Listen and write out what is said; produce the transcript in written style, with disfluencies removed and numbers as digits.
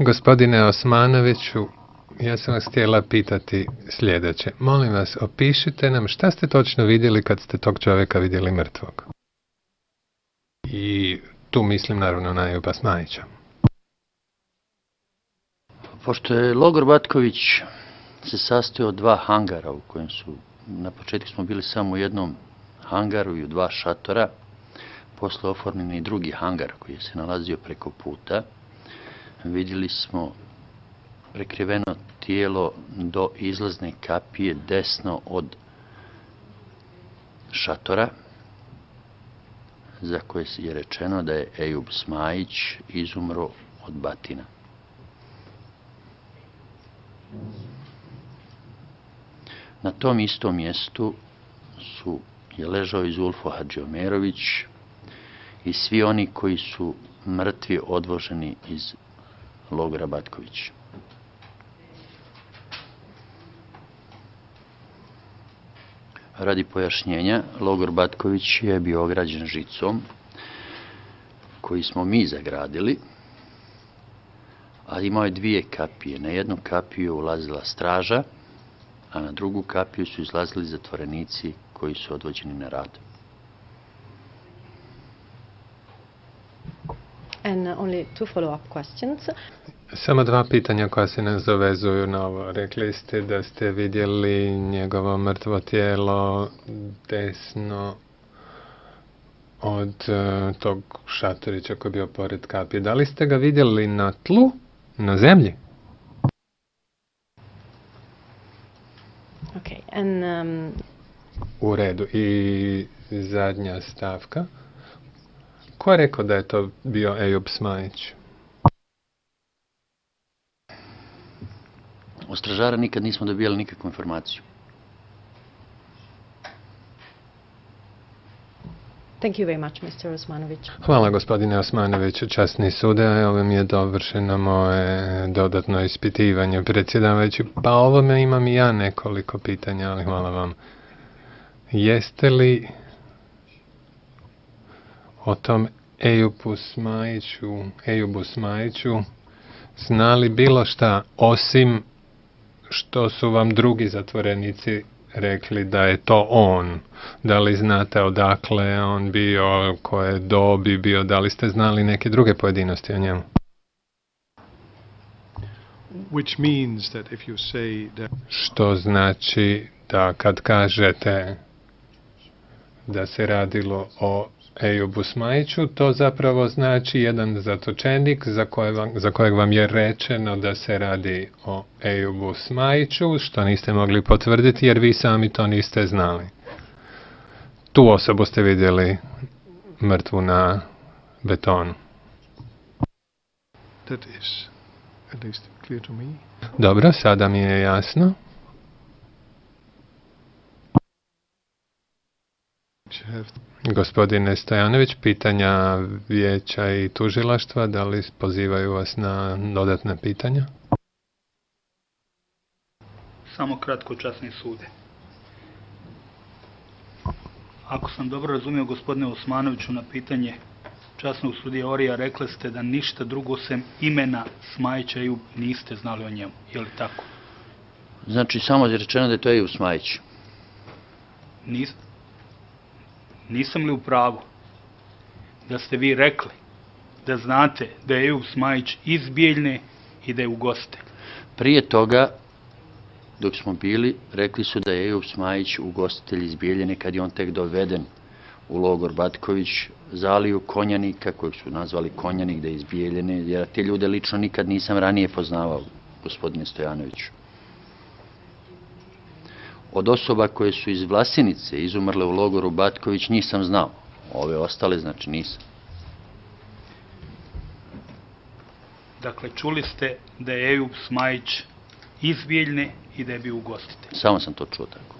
Gospodine Osmanoviću, ja sam vas htjela pitati sljedeće. Molim vas, opišite nam šta ste točno vidjeli kad ste tog čovjeka vidjeli mrtvog. I tu mislim naravno na Ejuba Smajića. Pošto je logor Batković se sastoji od 2 hangara u kojem su, na početku smo bili samo u jednom hangaru i u 2 šatora, posle oformljen i drugi hangar koji se nalazio preko puta. Vidjeli smo prekriveno tijelo do izlazne kapije desno od šatora, za koje je rečeno da je Ejub Smajić izumro od batina. Na tom istom mjestu je ležao i Zulfo Hadžiomerović i svi oni koji su mrtvi odvoženi iz logora Batković. Radi pojašnjenja, logor Batković je bio ograđen žicom koji smo mi zagradili, a imao je 2 kapije. Na jednu kapiju je ulazila straža, a na drugu kapiju su izlazili zatvorenici koji su odvođeni na rad. And only 2 follow-up questions. Samo 2 pitanja koja se nas dovezuju na ovo. Rekli ste da ste vidjeli njegovo mrtvo tijelo desno od tog šatorića koji je bio pored kapije. Da li ste ga vidjeli na tlu, na zemlji? Okay, and U redu. I zadnja stavka. Ko je rekao da je to bio Ejub Smajić? Od stražara nikad nismo dobijali nikakvu informaciju. thank you very much, Mr. Osmanović. Hvala gospodine Osmanoviću, časni sude. Ovo mi je dovršeno moje dodatno ispitivanje, predsjedavajući. Pa ovome imam i ja nekoliko pitanja, ali hvala vam. Jeste li o tom Ejubu Smajiću znali bilo šta, osim što su vam drugi zatvorenici rekli da je to on? Da li znate odakle je on bio, koje dobi bio, da li ste znali neke druge pojedinosti o njemu? Which means that if you say that... Što znači da kad kažete da se radilo o Ejubu Smajiću, to zapravo znači jedan zatočenik za kojeg vam je rečeno da se radi o Ejubu Smajiću, što niste mogli potvrditi jer vi sami to niste znali. Tu osobu ste vidjeli mrtvu na betonu. That is at least clear to me. Dobro, sada mi je jasno. Gospodine Stojanović, pitanja vijeća i tužilaštva, da li pozivaju vas na dodatna pitanja? Samo kratko, časni sude. Ako sam dobro razumio gospodine Osmanoviću na pitanje časnog sudije Orija, rekli ste da ništa drugo sem imena Smajića Ejub niste znali o njemu. Je li tako? Znači, samo je rečeno da je to Ejub Smajić. Nisam li u pravu da ste vi rekli da znate da je Ejub Smajić iz Bijeljne i da je ugostitelj? Prije toga, dok smo bili, rekli su da je Ejub Smajić ugostitelj iz Bijeljine kad je on tek doveden u logor Batković, zaliju Konjanika, kojeg su nazvali Konjanik, da je iz Bijeljine, jer te ljude lično nikad nisam ranije poznavao, gospodine Stojanoviću. Od osoba koje su iz Vlasinice izumrle u logoru Batković nisam znao. Ove ostale, znači, nisam. Dakle, čuli ste da je Ejub Smajić iz Bijeljne i da je bio ugostitelj? Samo sam to čuo tako.